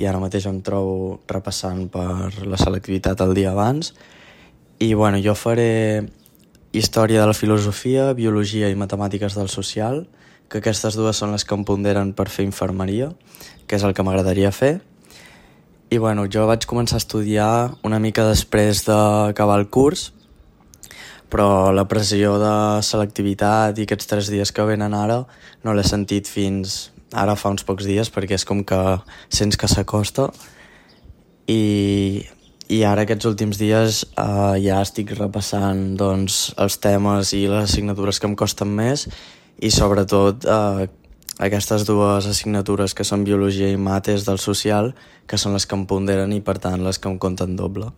i ara mateix em trobo repassant per la selectivitat el dia abans. I jo faré història de la filosofia, biologia i matemàtiques del social, que aquestes dues són les que em ponderen per fer infermeria, que és el que m'agradaria fer. I jo vaig començar a estudiar una mica després d'acabar el curs, però la pressió de selectivitat i aquests 3 dies que venen ara no l'he sentit fins ara fa uns pocs dies, perquè és com que sents que s'acosta. I ara aquests últims dies ja estic repassant els temes i les assignatures que em costen més, i sobretot aquestes 2 assignatures que són biologia i mates del social, que són les que em ponderen i per tant les que em compten doble.